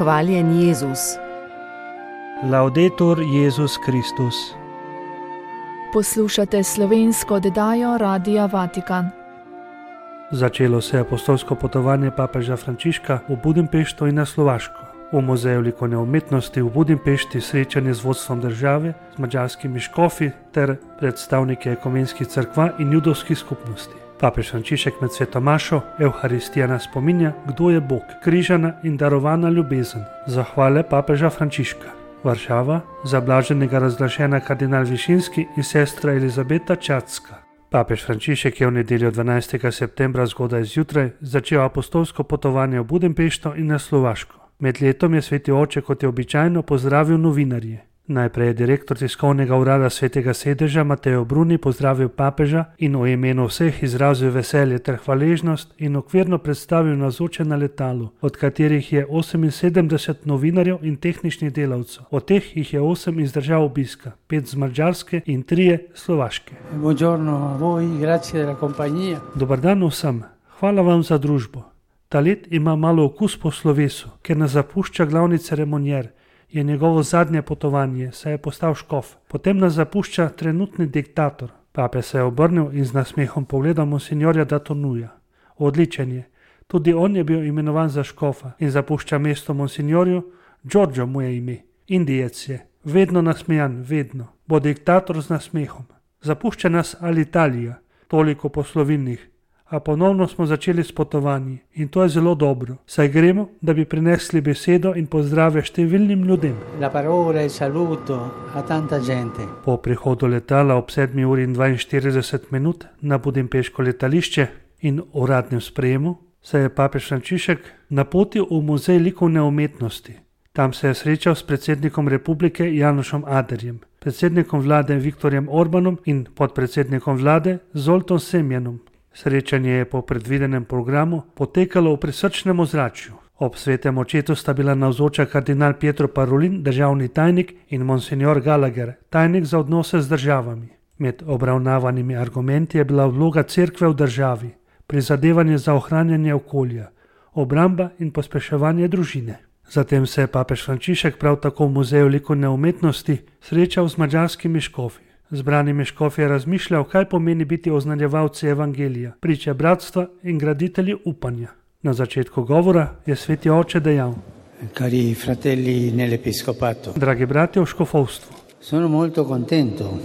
Hvaljen Jezus. Laudetur Jezus Kristus. Poslušate slovensko oddajo Radia Vatikan. Začelo se je apostolsko potovanje papeža Frančiška v Budimpešto in na Slovaško. V Muzeju likovne umetnosti v Budimpešti srečanje z vodstvom države, z madžarskimi škofi ter predstavniki ekumenskih cerkva in judovskih skupnosti. Papež Frančišek med sveto mašo Evharistija nas spominja, kdo je Bog, križana in darovana ljubezen. Zahvale papeža Frančiška. Varšava, za blaženega razglašena kardinal Višinski in sestra Elizabeta Čatska. Papež Frančišek je v nedeljo 12. septembra zgodaj zjutraj začel apostolsko potovanje v Budimpešto in na Slovaško. Med letom je sveti oče, kot je običajno, pozdravil novinarje. Najprej je direktor tiskovnega urada svetega sedeža Mateo Bruni pozdravil papeža in v imenu vseh izrazil veselje ter hvaležnost in okvirno predstavil navzoče na letalu, od katerih je 78 novinarjev in tehničnih delavcev. Od teh jih je 8 iz držav obiska, 5 z Madžarske in 3 Slovaške. Buongiorno a voi, grazie della compagnia. Dobar dan vsem, hvala vam za družbo. Ta let ima malo okus po slovesu, ker nas zapušča glavni ceremonjer. Je njegovo zadnje potovanje, saj je postal škof. Potem nas zapušča trenutni diktator. Pape se je obrnil in z nasmehom pogledal monsinjorja Datonuja. Odličen je. Tudi on je bil imenovan za škofa in zapušča mesto monsinjorju. Giorgio mu je ime. Indijec je. Vedno nasmejan, vedno. Bo diktator z nasmehom. Zapušča nas Alitalia, toliko poslovilnih. A ponovno smo začeli s potovanji in to je zelo dobro, saj gremo, da bi prinesli besedo in pozdrave številnim ljudem. La parola e saluto a tanta gente. Po prihodu letala ob 7:42 na budimpeško letališče in uradnem sprejemu se je papež Frančišek napotil v Muzej likovne umetnosti. Tam se je srečal s predsednikom republike Janošom Aderjem, predsednikom vlade Viktorjem Orbanom in podpredsednikom vlade Zoltom Semjanom. Srečanje je po predvidenem programu potekalo v prisrčnem ozračju. Ob svetem očetu sta bila navzoča kardinal Pietro Parolin, državni tajnik, in monsignor Gallagher, tajnik za odnose z državami. Med obravnavanimi argumenti je bila vloga cerkve v državi, prizadevanje za ohranjanje okolja, obramba in pospeševanje družine. Zatem se je papež Frančišek prav tako v Muzeju likovne umetnosti srečal z madžarskimi škofi. Zbranimi škofi je razmišljal, kaj pomeni biti oznanjevalci evangelija, priče bratstva in graditelji upanja. Na začetku govora je sveti oče dejal: Cari fratelli nell'episcopato. Dragi bratje v škofovstvu. Sono molto contento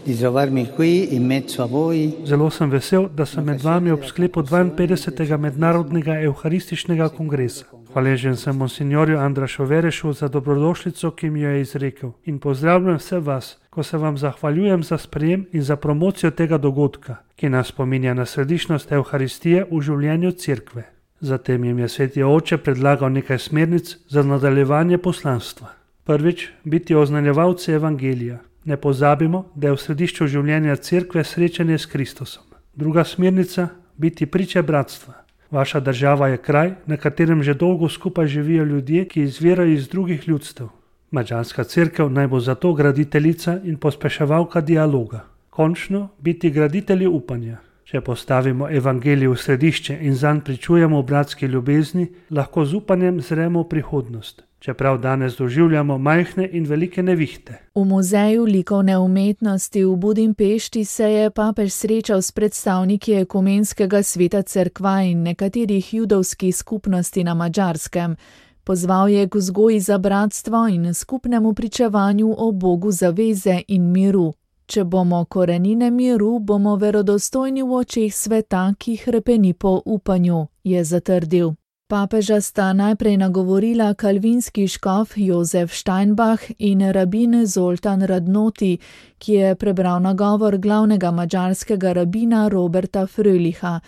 di trovarmi qui in mezzo a voi. Zelo sem vesel, da sem med vami ob sklepu 52. mednarodnega evharističnega kongresa. Hvaležen sem monsinjorju Andrašu Verešu za dobrodošlico, ki mi jo je izrekel, in pozdravljam vse vas, ko se vam zahvaljujem za sprejem in za promocijo tega dogodka, ki nas spominja na središčnost Evharistije v življenju cerkve. Zatem jim je sveti oče predlagal nekaj smernic za nadaljevanje poslanstva. Prvič, biti oznanjevalci evangelija. Ne pozabimo, da je v središču življenja cerkve srečanje s Kristusom. Druga smernica, biti priče bratstva. Vaša država je kraj, na katerem že dolgo skupaj živijo ljudje, ki izvirajo iz drugih ljudstev. Madžarska cerkev naj bo zato graditeljica in pospeševalka dialoga. Končno, biti graditelji upanja. Če postavimo evangelij v središče in zanj pričujemo v bratski ljubezni, lahko z upanjem zremo v prihodnost. Čeprav danes doživljamo majhne in velike nevihte. V Muzeju likovne umetnosti v Budimpešti se je papež srečal s predstavniki ekumenskega sveta cerkva in nekaterih judovskih skupnosti na Madžarskem. Pozval je k vzgoji za bratstvo in skupnemu pričevanju o Bogu zaveze in miru. Če bomo korenine miru, bomo verodostojni v očeh sveta, ki hrepeni po upanju, je zatrdil. Papeža sta najprej nagovorila kalvinski škof Jozef Steinbach in rabin Zoltan Radnoti, ki je prebral nagovor glavnega madžarskega rabina Roberta Frölicha.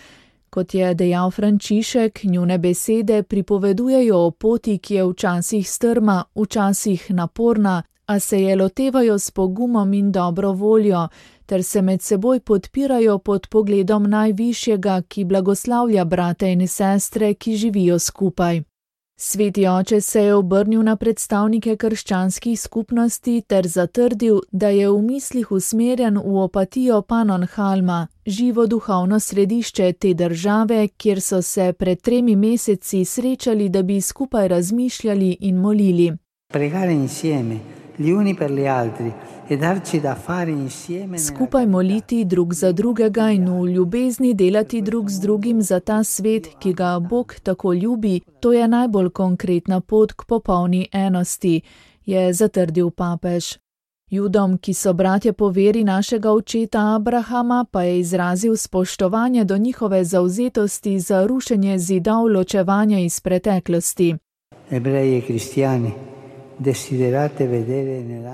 Kot je dejal Frančišek, njune besede pripovedujejo o poti, ki je včasih strma, včasih naporna, a se je lotevajo s pogumom in dobro voljo, ter se med seboj podpirajo pod pogledom najvišjega, ki blagoslavlja brate in sestre, ki živijo skupaj. Sveti oče se je obrnil na predstavnike krščanskih skupnosti ter zatrdil, da je v mislih usmerjen v Opatijo Pannonhalma, živo duhovno središče te države, kjer so se pred 3 meseci srečali, da bi skupaj razmišljali in molili. Pregare insieme, gli uni per gli altri, e darci da fare insieme. Skupaj moliti drug za drugega in v ljubezni delati drug z drugim za ta svet, ki ga Bog tako ljubi, to je najbolj konkretna pot k popolni enosti, je zatrdil papež. Judom, ki so bratje po veri našega očeta Abrahama, pa je izrazil spoštovanje do njihove zavzetosti za rušenje zidov ločevanja iz preteklosti. Ebreji e kristijani.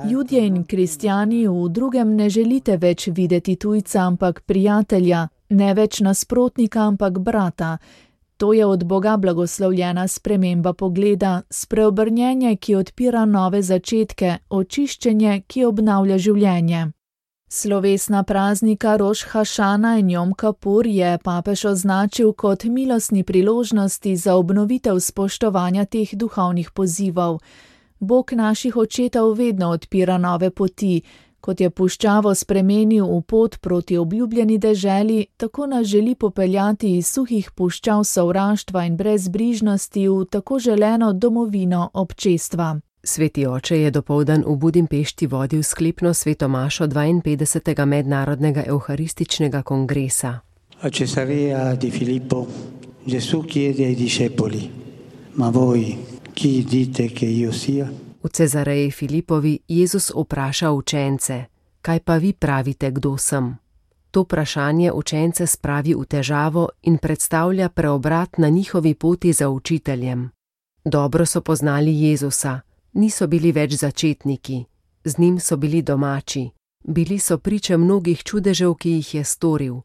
Judje in kristjani v drugem ne želite več videti tujca, ampak prijatelja, ne več nasprotnika, ampak brata. To je od Boga blagoslovljena sprememba pogleda, spreobrnjenje, ki odpira nove začetke, očiščenje, ki obnavlja življenje. Slovesna praznika Roš Hašana in Jom Kapur je papež označil kot milostni priložnosti za obnovitev spoštovanja teh duhovnih pozivov. Bog naših očetov vedno odpira nove poti, kot je puščavo spremenil v pot proti obljubljeni deželi, tako nas želi popeljati iz suhih puščav sovraštva in brezbrižnosti v tako želeno domovino občestva. Sveti oče je dopoldan v Budimpešti vodil sklepno svetomašo 52. mednarodnega evharističnega kongresa. A Cesarea di Filippo, Gesù chiede ai discepoli, ma voi chi dite che io sia? V Cezareji Filipovi Jezus vpraša učence, kaj pa vi pravite, kdo sem? To vprašanje učence spravi v težavo in predstavlja preobrat na njihovi poti za učiteljem. Dobro so poznali Jezusa, niso bili več začetniki, z njim so bili domači, bili so priče mnogih čudežev, ki jih je storil.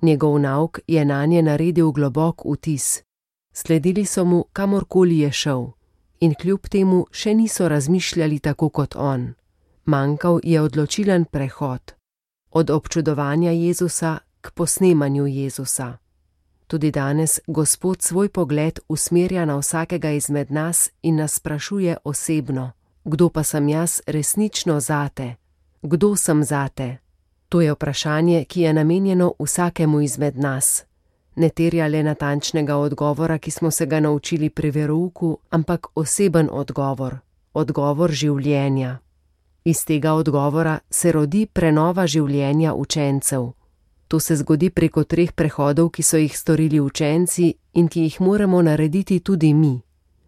Njegov nauk je nanje naredil globok vtis. Sledili so mu, kamorkoli je šel. In kljub temu še niso razmišljali tako kot on. Manjkal je odločilen prehod. Od občudovanja Jezusa k posnemanju Jezusa. Tudi danes Gospod svoj pogled usmerja na vsakega izmed nas in nas sprašuje osebno, kdo pa sem jaz resnično zate? Kdo sem zate? To je vprašanje, ki je namenjeno vsakemu izmed nas. Ne terja le natančnega odgovora, ki smo se ga naučili pri verouku, ampak oseben odgovor, odgovor življenja. Iz tega odgovora se rodi prenova življenja učencev. To se zgodi preko 3 prehodov, ki so jih storili učenci in ki jih moramo narediti tudi mi.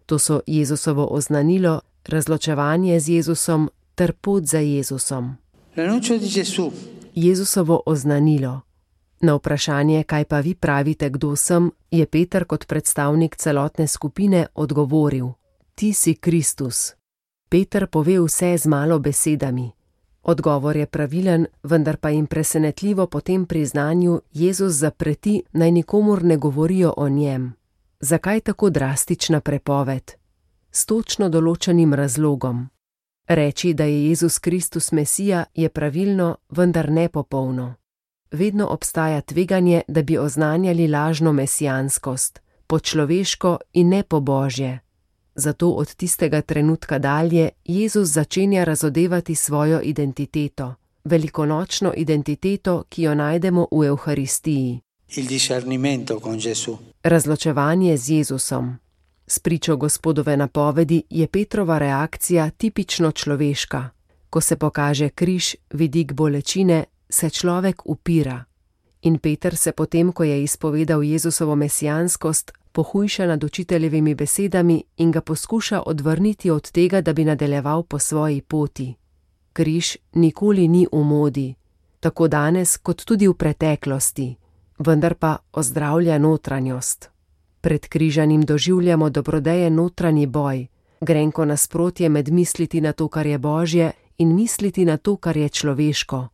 To so Jezusovo oznanilo, razločevanje z Jezusom ter pot za Jezusom. Jezusovo oznanilo. Na vprašanje, kaj pa vi pravite, kdo sem, je Peter kot predstavnik celotne skupine odgovoril: Ti si Kristus. Peter pove vse z malo besedami. Odgovor je pravilen, vendar pa jim presenetljivo po tem priznanju Jezus zapreti, naj nikomur ne govorijo o njem. Zakaj tako drastična prepoved? S točno določenim razlogom. Reči, da je Jezus Kristus Mesija, je pravilno, vendar nepopolno. Vedno obstaja tveganje, da bi oznanjali lažno mesijanskost, po človeško in ne po božje. Zato od tistega trenutka dalje Jezus začenja razodevati svojo identiteto, velikonočno identiteto, ki jo najdemo v Evharistiji. Razločevanje z Jezusom. S pričo Gospodove napovedi je Petrova reakcija tipično človeška. Ko se pokaže križ, vidik bolečine, se človek upira. In Peter se potem, ko je izpovedal Jezusovo mesijanskost, pohujša nad učiteljevimi besedami in ga poskuša odvrniti od tega, da bi nadaljeval po svoji poti. Križ nikoli ni v modi, tako danes kot tudi v preteklosti, vendar pa ozdravlja notranjost. Pred križanim doživljamo dobrodejen notranji boj, grenko nasprotje med misliti na to, kar je božje, in misliti na to, kar je človeško.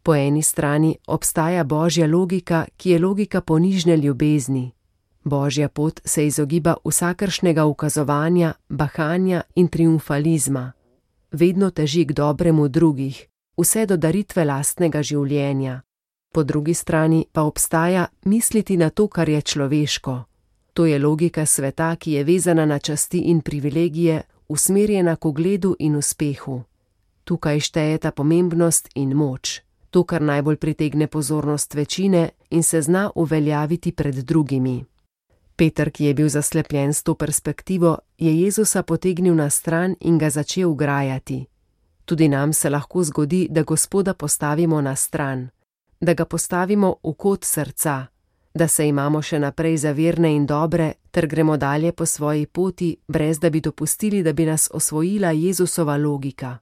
Po eni strani obstaja božja logika, ki je logika ponižne ljubezni. Božja pot se izogiba vsakršnega ukazovanja, bahanja in triumfalizma. Vedno teži k dobremu drugih, vse do daritve lastnega življenja. Po drugi strani pa obstaja misliti na to, kar je človeško. To je logika sveta, ki je vezana na časti in privilegije, usmerjena k ugledu in uspehu. Tukaj štejeta pomembnost in moč, to, kar najbolj pritegne pozornost večine in se zna uveljaviti pred drugimi. Peter, ki je bil zaslepljen s to perspektivo, je Jezusa potegnil na stran in ga začel grajati. Tudi nam se lahko zgodi, da Gospoda postavimo na stran, da ga postavimo v kot srca, da se imamo še naprej za verne in dobre, ter gremo dalje po svoji poti, brez da bi dopustili, da bi nas osvojila Jezusova logika.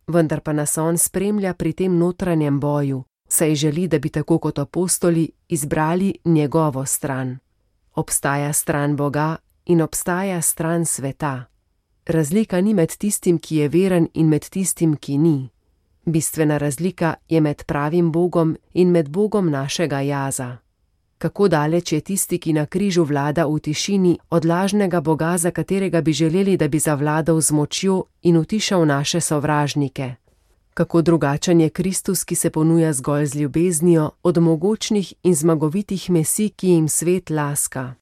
Vendar pa nas on spremlja pri tem notranjem boju, saj želi, da bi tako kot apostoli izbrali njegovo stran. Obstaja stran Boga in obstaja stran sveta. Razlika ni med tistim, ki je veren, in med tistim, ki ni. Bistvena razlika je med pravim Bogom in med Bogom našega jaza. Kako daleč je tisti, ki na križu vlada v tišini, od lažnega Boga, za katerega bi želeli, da bi zavladal z močjo in utišal naše sovražnike. Kako drugačen je Kristus, ki se ponuja zgolj z ljubeznijo, od mogočnih in zmagovitih mesij, ki jim svet laska.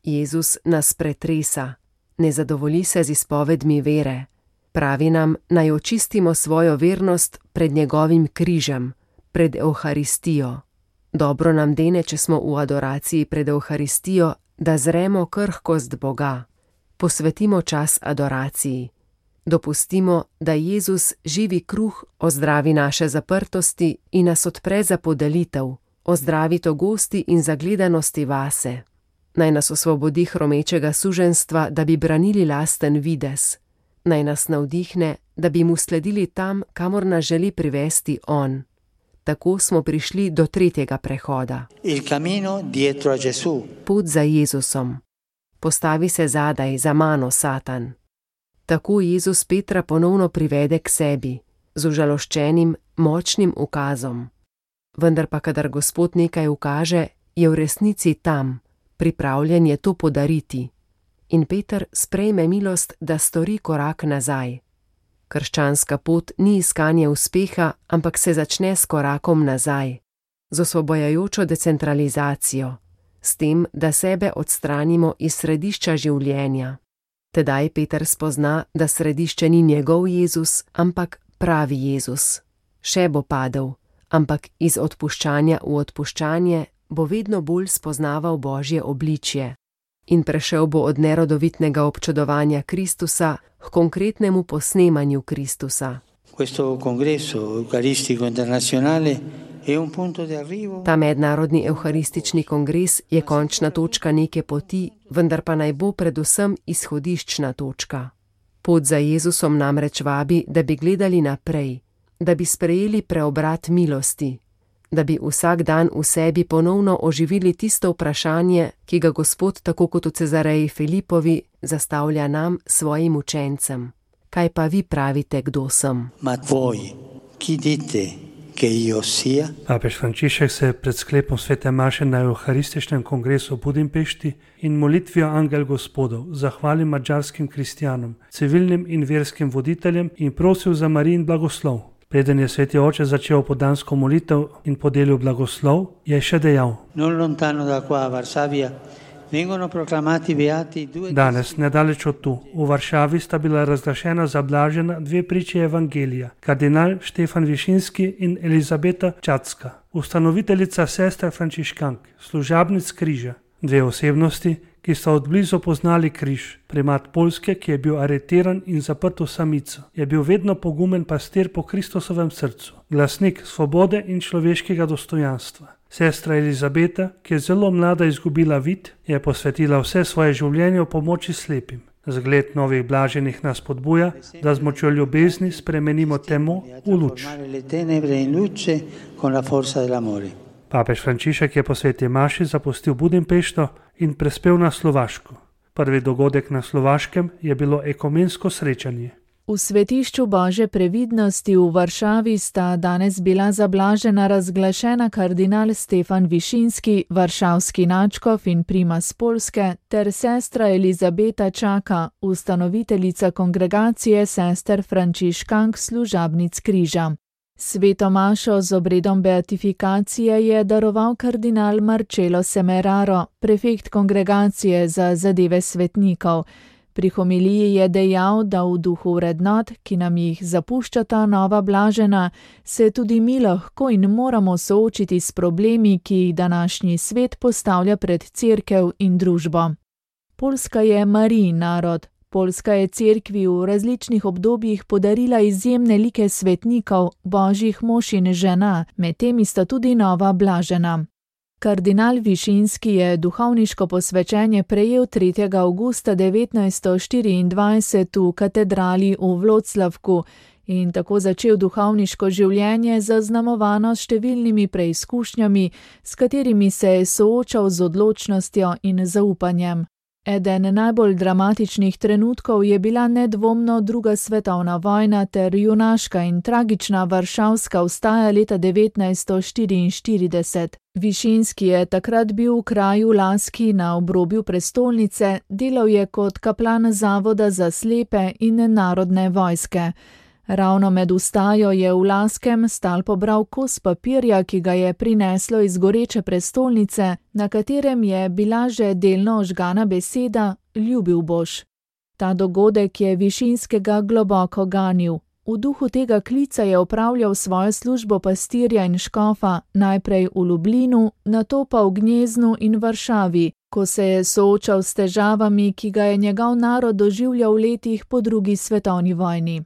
Jezus nas pretresa, ne zadovolji se z izpovedmi vere. Pravi nam, naj očistimo svojo vernost pred njegovim križem, pred Evharistijo. Dobro nam dene, če smo v adoraciji pred Evharistijo, da zremo krhkost Boga. Posvetimo čas adoraciji. Dopustimo, da Jezus, živi kruh, ozdravi naše zaprtosti in nas odpre za podelitev, ozdravi togosti in zagledanosti vase. Naj nas osvobodi hromečega suženjstva, da bi branili lasten videz. Naj nas navdihne, da bi mu sledili tam, kamor nas želi privesti on. Tako smo prišli do tretjega prehoda. Pot za Jezusom. Postavi se zadaj, za mano, Satan. Tako Jezus Petra ponovno privede k sebi, z užaloščenim, močnim ukazom. Vendar pa, kadar Gospod nekaj ukaže, je v resnici tam, pripravljen je to podariti. In Peter sprejme milost, da stori korak nazaj. Krščanska pot ni iskanje uspeha, ampak se začne s korakom nazaj, z osvobojajočo decentralizacijo, s tem, da sebe odstranimo iz središča življenja. Tedaj Peter spozna, da središče ni njegov Jezus, ampak pravi Jezus. Še bo padel, ampak iz odpuščanja v odpuščanje bo vedno bolj spoznaval Božje obličje in prešel bo od nerodovitnega občudovanja Kristusa k konkretnemu posnemanju Kristusa. Ta mednarodni evharistični kongres je končna točka neke poti, vendar pa naj bo predvsem izhodiščna točka. Pot za Jezusom namreč vabi, da bi gledali naprej, da bi sprejeli preobrat milosti, da bi vsak dan v sebi ponovno oživili tisto vprašanje, ki ga Gospod, tako kot v Cezareji Filipovi, zastavlja nam, svojim učencem. Kaj pa vi pravite, kdo sem? Papež Frančišek se je pred sklepom svete maše na Evharističnem kongresu v Budimpešti in molitvijo Angel Gospodov zahvalil madžarskim kristjanom, civilnim in verskim voditeljem in prosil za Marijin blagoslov. Preden je sveti oče začel podansko molitev in podelil blagoslov, je še dejal: Danes, nedaleč od tu, v Varšavi sta bila razglašena za blažena dve priči evangelija, kardinal Štefan Višinski in Elizabeta Čatska, ustanoviteljica sester frančiškank, služabnic križa, dve osebnosti, ki sta odblizu poznali križ. Primat Poljske, ki je bil aretiran in zaprt v samico, je bil vedno pogumen pastir po Kristusovem srcu, glasnik svobode in človeškega dostojanstva. Sestra Elizabeta, ki je zelo mlada izgubila vid, je posvetila vse svoje življenje v pomoči slepim. Zgled novih blaženih nas spodbuja, da z močjo ljubezni spremenimo temo v luč. Papež Frančišek je po sveti maši zapustil Budimpešto in prespel na Slovaško. Prvi dogodek na Slovaškem je bilo ekumensko srečanje. V svetišču Božje previdnosti v Varšavi sta danes bila zablažena razglašena kardinal Štefan Višinski, varšavski nadškof in primas Poljske, ter sestra Elizabeta Čaka, ustanoviteljica kongregacije sester frančiškank služabnic križa. Sveto mašo z obredom beatifikacije je daroval kardinal Marcello Semeraro, prefekt kongregacije za zadeve svetnikov. Pri homiliji je dejal, da v duhu vrednot, ki nam jih zapuščata nova blažena, se tudi mi lahko in moramo soočiti s problemi, ki jih današnji svet postavlja pred cerkev in družbo. Poljska je Marijin narod. Poljska je cerkvi v različnih obdobjih podarila izjemne like svetnikov, božjih mož in žena, med temi sta tudi nova blažena. Kardinal Višinski je duhovniško posvečenje prejel 3. avgusta 1924 v katedrali v Vloclavku in tako začel duhovniško življenje zaznamovano s številnimi preizkušnjami, s katerimi se je soočal z odločnostjo in zaupanjem. Eden najbolj dramatičnih trenutkov je bila nedvomno druga svetovna vojna ter junaška in tragična varšavska vstaja leta 1944. Višinski je takrat bil v kraju Laski na obrobju prestolnice, delal je kot kaplan Zavoda za slepe in narodne vojske. Ravno med vstajo je v Laskem stal pobral kos papirja, ki ga je prineslo iz goreče prestolnice, na katerem je bila že delno ožgana beseda Ljubil boš. Ta dogodek je Višinskega globoko ganil. V duhu tega klica je opravljal svojo službo pastirja in škofa, najprej v Lublinu, nato pa v Gnjeznu in Varšavi, ko se je soočal s težavami, ki ga je njegov narod doživljal v letih po drugi svetovni vojni.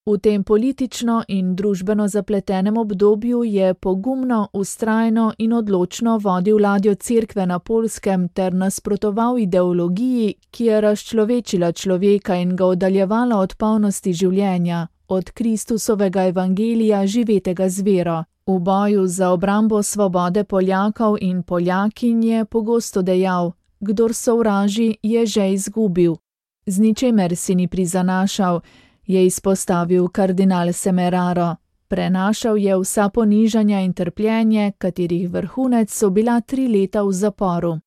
V tem politično in družbeno zapletenem obdobju je pogumno, vztrajno in odločno vodil ladjo cerkve na Poljskem ter nasprotoval ideologiji, ki je razčlovečila človeka in ga oddaljevala od polnosti življenja, od Kristusovega evangelija živetega z vero. V boju za obrambo svobode Poljakov in Poljakinj je pogosto dejal: kdor sovraži, je že izgubil. Z ničemer si ni prizanašal, je izpostavil kardinal Semeraro. Prenašal je vsa ponižanja in trpljenje, katerih vrhunec so bila 3 leta v zaporu.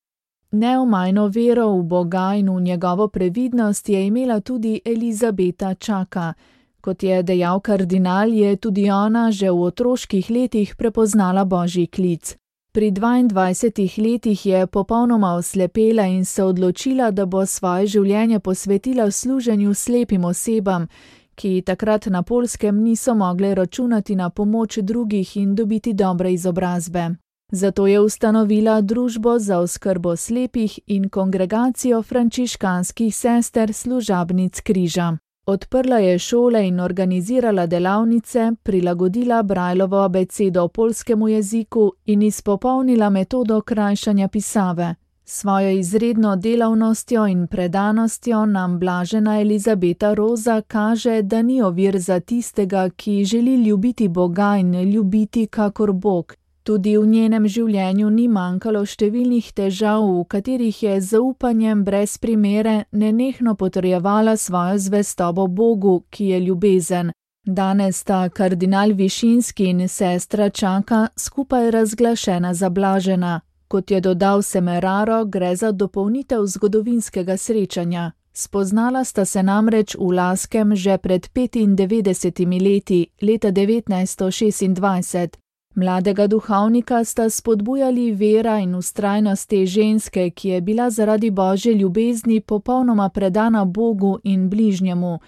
Neomajno vero v Boga in v njegovo previdnost je imela tudi Elizabeta Čaka. Kot je dejal kardinal, je tudi ona že v otroških letih prepoznala božji klic. Pri 22 letih je popolnoma oslepela in se odločila, da bo svoje življenje posvetila služenju slepim osebam, ki takrat na Poljskem niso mogle računati na pomoč drugih in dobiti dobre izobrazbe. Zato je ustanovila družbo za oskrbo slepih in kongregacijo frančiškanskih sester služabnic križa. Odprla je šole in organizirala delavnice, prilagodila Brajlovo abecedo poljskemu jeziku in izpopolnila metodo krajšanja pisave. Svojo izredno delavnostjo in predanostjo nam blažena Elizabeta Roza kaže, da ni ovir za tistega, ki želi ljubiti Boga in ljubiti kakor Bog. Tudi v njenem življenju ni manjkalo številnih težav, v katerih je z zaupanjem brez primere nenehno potrjevala svojo zvestobo Bogu, ki je ljubezen. Danes sta kardinal Višinski in sestra Čaka skupaj razglašena za blažena. Kot je dodal Semeraro, gre za dopolnitev zgodovinskega srečanja. Spoznala sta se namreč v Laskem že pred 95 leti, leta 1926. Mladega duhovnika sta spodbujali vera in vztrajnost te ženske, ki je bila zaradi božje ljubezni popolnoma predana Bogu in bližnjemu.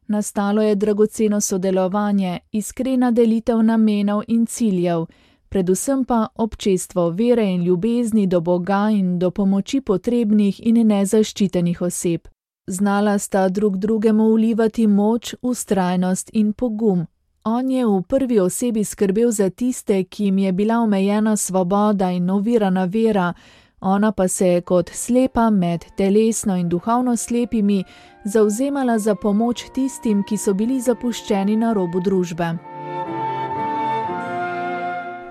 Nastalo je dragoceno sodelovanje, iskrena delitev namenov in ciljev, predvsem pa občestvo vere in ljubezni do Boga in do pomoči potrebnih in nezaščitenih oseb. Znala sta drug drugemu vlivati moč, vztrajnost in pogum. On je v prvi osebi skrbel za tiste, ki jim je bila omejena svoboda in ovirana vera, ona pa se je kot slepa med telesno in duhovno slepimi zavzemala za pomoč tistim, ki so bili zapuščeni na robu družbe.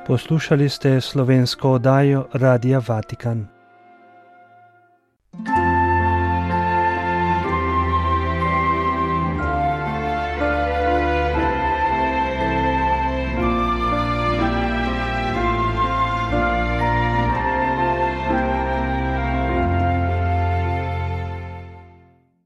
Poslušali ste slovensko oddajo Radia Vatikan.